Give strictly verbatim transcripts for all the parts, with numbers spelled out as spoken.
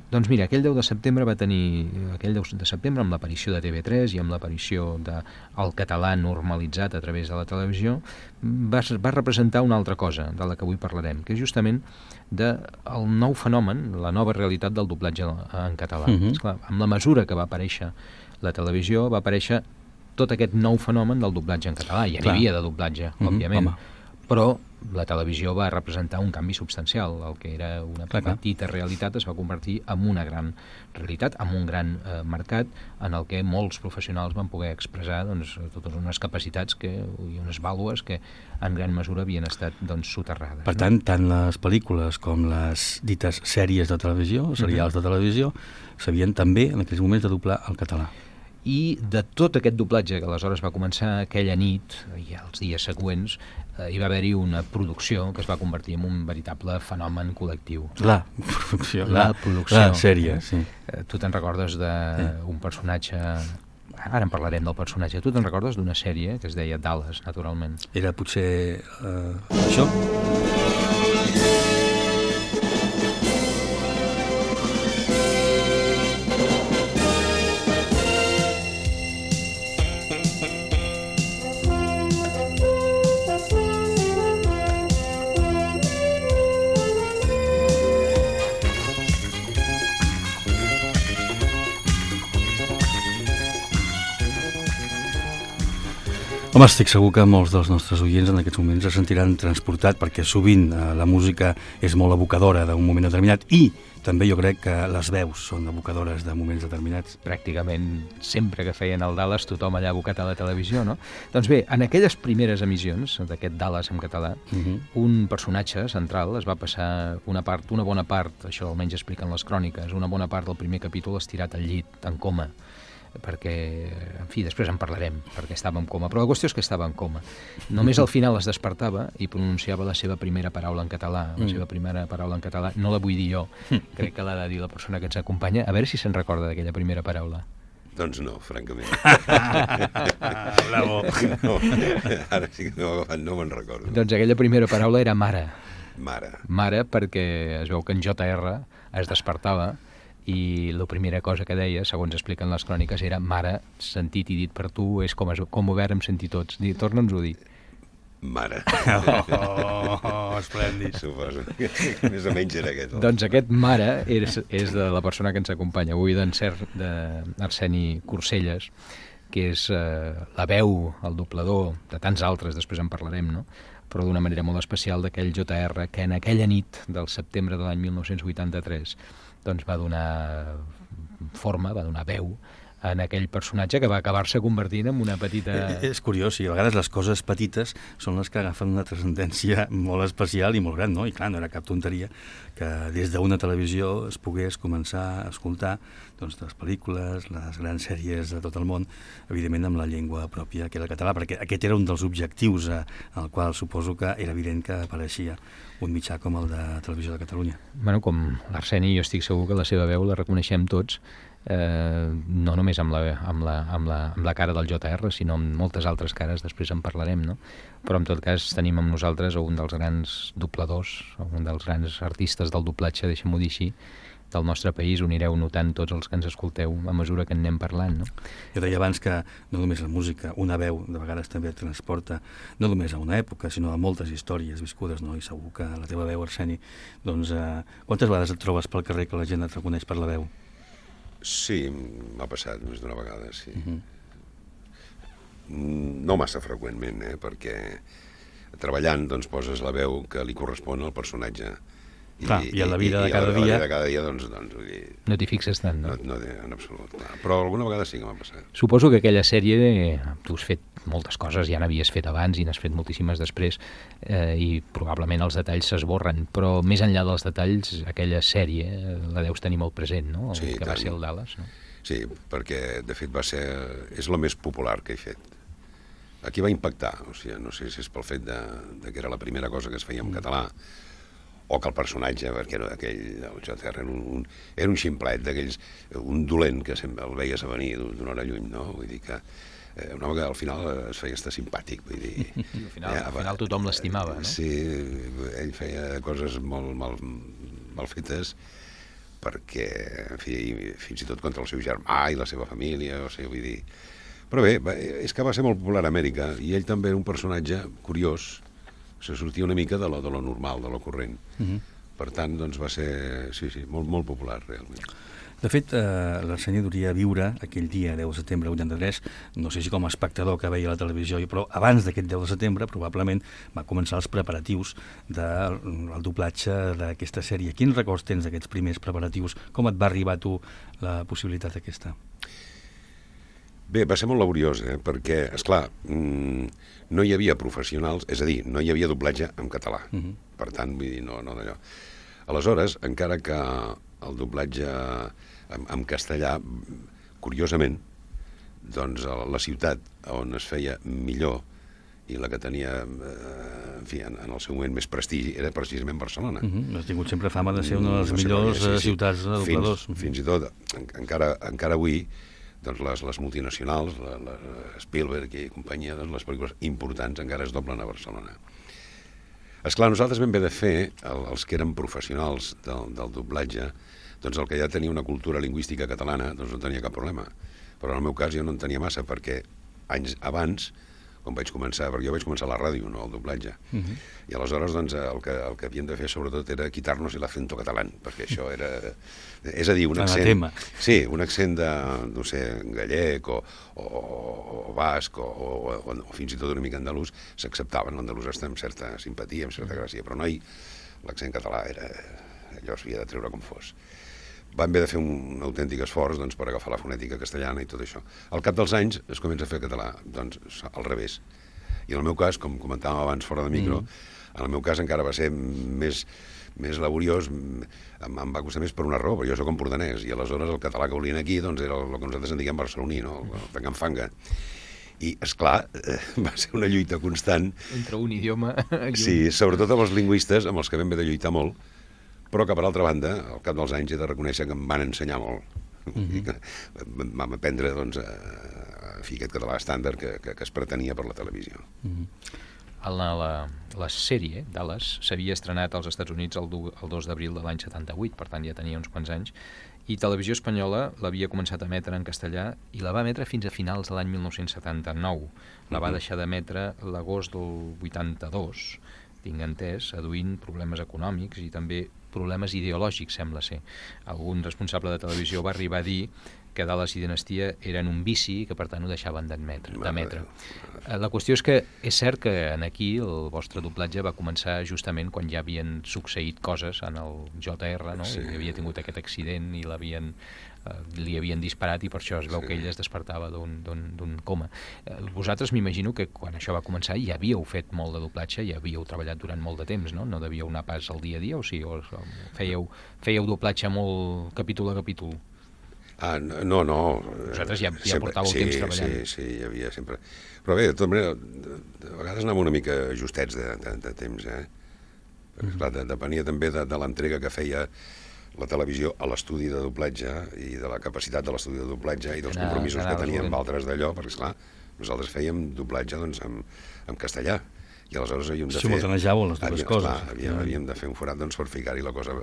Doncs mira, aquell deu de setembre va tenir, aquell deu de setembre amb l'aparició de T V tres i amb l'aparició del català normalitzat a través de la televisió, va, va representar una altra cosa de la que avui parlarem, que és justament del nou fenomen, la nova realitat del doblatge en català. Uh-huh. Esclar, amb la mesura que va aparèixer la televisió, va aparèixer tot aquest nou fenomen del doblatge en català. Ja n'hi havia de doblatge, uh-huh, òbviament, home. Però la televisió va representar un canvi substancial. El que era una clar, petita clar. realitat es va convertir en una gran realitat, en un gran eh, mercat en el que molts professionals van poder expressar doncs, totes unes capacitats que, i unes vàlues que en gran mesura havien estat doncs, soterrades. Per tant, no? tant les pel·lícules com les dites sèries de televisió, serials uh-huh. de televisió, sabien també en aquells moments de doblar el català. I de tot aquest doblatge que aleshores va començar aquella nit i els dies següents, eh, hi va haver-hi una producció que es va convertir en un veritable fenomen col·lectiu. La producció. La, la producció. La sèrie, sí. Eh, tu te'n recordes d'un sí. personatge... Ara en parlarem del personatge. Tu te'n recordes d'una sèrie que es deia Dallas, naturalment? Era potser uh, això? Home, estic segur que molts dels nostres oients en aquests moments es sentiran transportat perquè sovint eh, la música és molt evocadora d'un moment determinat i també jo crec que les veus són evocadores de moments determinats. Pràcticament sempre que feien el Dallas tothom allà abocat a la televisió, no? Doncs bé, en aquelles primeres emissions d'aquest Dallas en català, uh-huh. un personatge central es va passar una part, una bona part, això almenys expliquen les cròniques, una bona part del primer capítol estirat al llit, en coma, perquè, en fi, després en parlarem, perquè estava en coma, però la qüestió és que estava en coma. Només al final es despertava i pronunciava la seva primera paraula en català, la mm. seva primera paraula en català, no la vull dir jo, crec que l'ha de dir la persona que ens acompanya, a veure si se'n recorda d'aquella primera paraula. Doncs no, francament. Bravo. No, ara sí que m'ho agafat, no me'n recordo. Doncs aquella primera paraula era mare. Mare. Mare, perquè es veu que en J R es despertava i la primera cosa que deia, segons expliquen les cròniques, era mare, sentit i dit per tu, és com, es, com ho vàrem sentir tots. Torna'ns-ho a dir. Mare. Oh, esplèndid. Suposo. Més o menys era aquest. Doncs aquest mare és, és de la persona que ens acompanya avui, d'Arseni Corselles, que és eh, la veu, el doblador, de tants altres, després en parlarem, no? Però d'una manera molt especial d'aquell J R que en aquella nit del setembre de l'any mil nou-cents vuitanta-tres doncs va donar forma, va donar veu en aquell personatge que va acabar-se convertint en una petita... Eh, és curiós, i a vegades les coses petites són les que agafen una transcendència molt especial i molt gran, no? I clar, no era cap tonteria que des d'una televisió es pogués començar a escoltar doncs, les pel·lícules, les grans sèries de tot el món, evidentment amb la llengua pròpia que era el català, perquè aquest era un dels objectius eh, al qual suposo que era evident que apareixia un mitjà com el de Televisió de Catalunya. Bueno, com l'Arseni, jo estic segur que la seva veu la reconeixem tots, eh, no només amb la, amb, la, amb, la, amb la cara del J R, sinó amb moltes altres cares, després en parlarem, no? Però en tot cas tenim amb nosaltres un dels grans dobladors, un dels grans artistes del doblatge, deixem-ho dir així, del nostre país, ho anireu notant tots els que ens escolteu a mesura que en anem parlant, no? Jo deia abans que no només la música, una veu de vegades també et transporta no només a una època, sinó a moltes històries viscudes, no? I segur que la teva veu, Arseni, doncs eh, quantes vegades et trobes pel carrer que la gent et reconeix per la veu? Sí, m'ha passat més d'una vegada, sí. Uh-huh. No massa freqüentment, eh, perquè treballant doncs poses la veu que li correspon al personatge. I, clar, i a la vida de cada dia... I a la vida de cada dia, doncs, doncs vull dir... No t'hi fixes tant, no? No, no en absolut, clar. Però alguna vegada sí que m'ha passat. Suposo que aquella sèrie, tu has fet moltes coses, ja n'havies fet abans i n'has fet moltíssimes després, eh, i probablement els detalls s'esborren, però més enllà dels detalls, aquella sèrie la deus tenir molt present, no? El sí, que tant. va ser el Dallas, no? Sí, perquè, de fet, va ser... és la més popular que he fet. Aquí va impactar, o sigui, no sé si és pel fet de, de que era la primera cosa que es feia en català, o que el personatge, perquè era aquell, el J R, era un, un, era un ximplet d'aquells, un dolent que sempre el veies a venir d'una hora lluny, no? Vull dir que eh, un home que al final es feia estar simpàtic, vull dir... I al final, eh, al final tothom l'estimava, no? Sí, ell feia coses molt mal, mal fetes, perquè, en fi, fins i tot contra el seu germà i la seva família, o sigui, vull dir... Però bé, és que va ser molt popular a Amèrica, i ell també era un personatge curiós, se sortia una mica de lo, de lo normal, de lo corrent. Uh-huh. Per tant, doncs va ser, sí, sí, molt, molt popular, realment. De fet, eh, l'Arsenio duria a viure aquell dia, deu de setembre vuitanta-tres, no sé si com a espectador que veia la televisió, però abans d'aquest deu de setembre probablement va començar els preparatius del de, doblatge d'aquesta sèrie. Quins records tens d'aquests primers preparatius? Com et va arribar a tu la possibilitat aquesta? Bé, va ser molt laboriós, eh? Perquè, esclar, mmm, no hi havia professionals, és a dir, no hi havia doblatge en català. Uh-huh. Per tant, vull dir, no, no d'allò. Aleshores, encara que el doblatge en, en castellà, curiosament, doncs la ciutat on es feia millor i la que tenia, eh, en fi, en, en el seu moment més prestigi, era precisament Barcelona. Uh-huh. Has tingut sempre fama de ser una de les no millors sí, sí. ciutats de dobladors. Fins, fins i tot, en, encara, encara avui, doncs les, les multinacionals, la, la Spielberg i companyia, doncs les pel·lícules importants encara es doblen a Barcelona. Esclar, nosaltres vam haver de fer, el, els que eren professionals del, del doblatge, doncs el que ja tenia una cultura lingüística catalana, doncs no tenia cap problema. Però en el meu cas jo no en tenia massa, perquè anys abans, quan vaig començar, perquè jo vaig començar a la ràdio, no al doblatge, uh-huh. i aleshores doncs, el, que, el que havíem de fer sobretot era quitar-nos el acento català, perquè això era... És a dir, un accent... Sí, un accent de, no sé, gallec o, o, o basc o, o, o, o fins i tot una mica andalús, s'acceptaven. L'andalús està amb certa simpatia, amb certa gràcia, però no hi... L'accent català era... allò s'havia de treure com fos. Vam haver de fer un autèntic esforç doncs, per agafar la fonètica castellana i tot això. Al cap dels anys es comença a fer català, doncs al revés. I en el meu cas, com comentàvem abans fora de micro, mm. en el meu cas encara va ser més, més laboriós, em, em va costar més per una raó, perquè jo soc empordanès, i aleshores el català que volien aquí doncs, era el, el que nosaltres en diguem barceloní, no? el fanga-fanga. I, esclar, eh, va ser una lluita constant. Entre un idioma... Sí, sobretot amb els lingüistes, amb els que vam haver de lluitar molt, però que per altra banda, al cap dels anys he de reconèixer que em van ensenyar molt. Uh-huh. Vam aprendre doncs, a, a fer aquest català estàndard que, que, que es pretenia per la televisió. Uh-huh. La, la, la sèrie Dallas s'havia estrenat als Estats Units el, el dos d'abril de l'any setanta-vuit, per tant ja tenia uns quants anys, i Televisió Espanyola l'havia començat a emetre en castellà i la va emetre fins a finals de l'any mil nou-cents setanta-nou. La va deixar d'emetre l'agost del vuitanta-dos, tinc entès, aduint problemes econòmics i també problemes ideològics, sembla ser. Algun responsable de televisió va arribar a dir que Dallas i Dinastia eren un vici i que per tant ho deixaven d'emetre. La qüestió és que és cert que en aquí el vostre doblatge va començar justament quan ja havien succeït coses en el J R, no? Sí. I havia tingut aquest accident i l'havien eh, li havien disparat i per això es veu sí. que ell es despertava d'un coma. Eh, vosaltres m'imagino que quan això va començar ja havíeu fet molt de doblatge, ja havíeu treballat durant molt de temps, no? No devíeu anar pas al dia a dia o sí? O fèieu, fèieu doblatge molt capítol a capítol? Ah, no, no. Vosaltres ja, ja sempre, portàveu sí, temps treballant. Sí, sí, hi havia sempre... Però bé, de tota manera, de, de vegades anàvem una mica justets de, de, de temps, eh? Perquè, esclar, de, depenia també de, de l'entrega que feia la televisió a l'estudi de doblatge i de la capacitat de l'estudi de doblatge i dels compromisos que teníem amb altres d'allò, perquè, esclar, nosaltres fèiem doblatge doncs, en, en castellà, i aleshores havíem de fer... Simultanejàveu les dues havíem, coses. Esclar, havíem, havíem de fer un forat doncs, per ficar-hi la cosa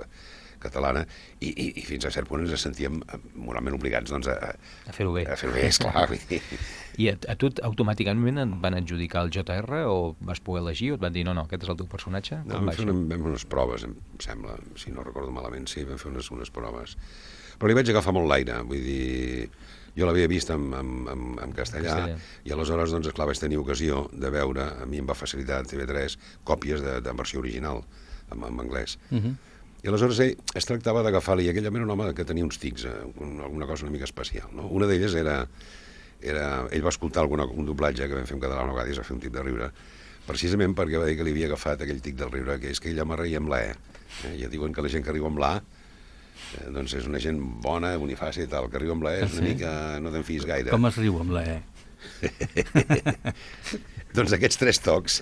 catalana i, i, i fins a cert punt ens sentíem moralment obligats doncs, a, a fer-ho bé. A fer-ho bé, esclar. I a, a tu automàticament et van adjudicar el J R o vas poder elegir o et van dir no, no, aquest és el teu personatge? No, vam fer, una, vam fer unes proves, em sembla, si no recordo malament, sí, vam fer unes, unes proves. Però li vaig agafar molt l'aire, vull dir... Jo l'havia vist en, en, en, en castellà, castellà i aleshores, doncs, esclar, vaig tenir ocasió de veure, a mi em va facilitar T V tres, còpies de, de versió original en, en anglès. Uh -huh. I aleshores ell es tractava d'agafar-li, i aquell home era un home que tenia uns tics, eh, alguna cosa una mica especial. No? Una d'elles era, era... Ell va escoltar alguna, un doblatge que vam fer en català una vegada i es va fer un tip de riure, precisament perquè va dir que li havia agafat aquell tic del riure, que és que ell home reia amb la E. Eh? Ja diuen que la gent que riu amb l'A eh, doncs és una gent bona, bonifàcia i tal, que riu amb la E és una sí. mica... no te'n fiïs gaire. Com es riu amb la E? Doncs aquests tres tocs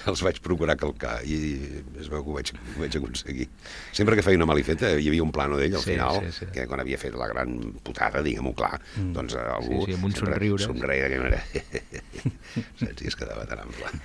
els vaig procurar calcar i es veu que ho vaig, ho vaig aconseguir. Sempre que feia una malifeta hi havia un plano d'ell al sí, final, sí, sí. que quan havia fet la gran putada, diguem-ho clar, mm. doncs algú... Sí, sí, amb un somriure. Somreia, que no era... Saps? I es quedava tan ample.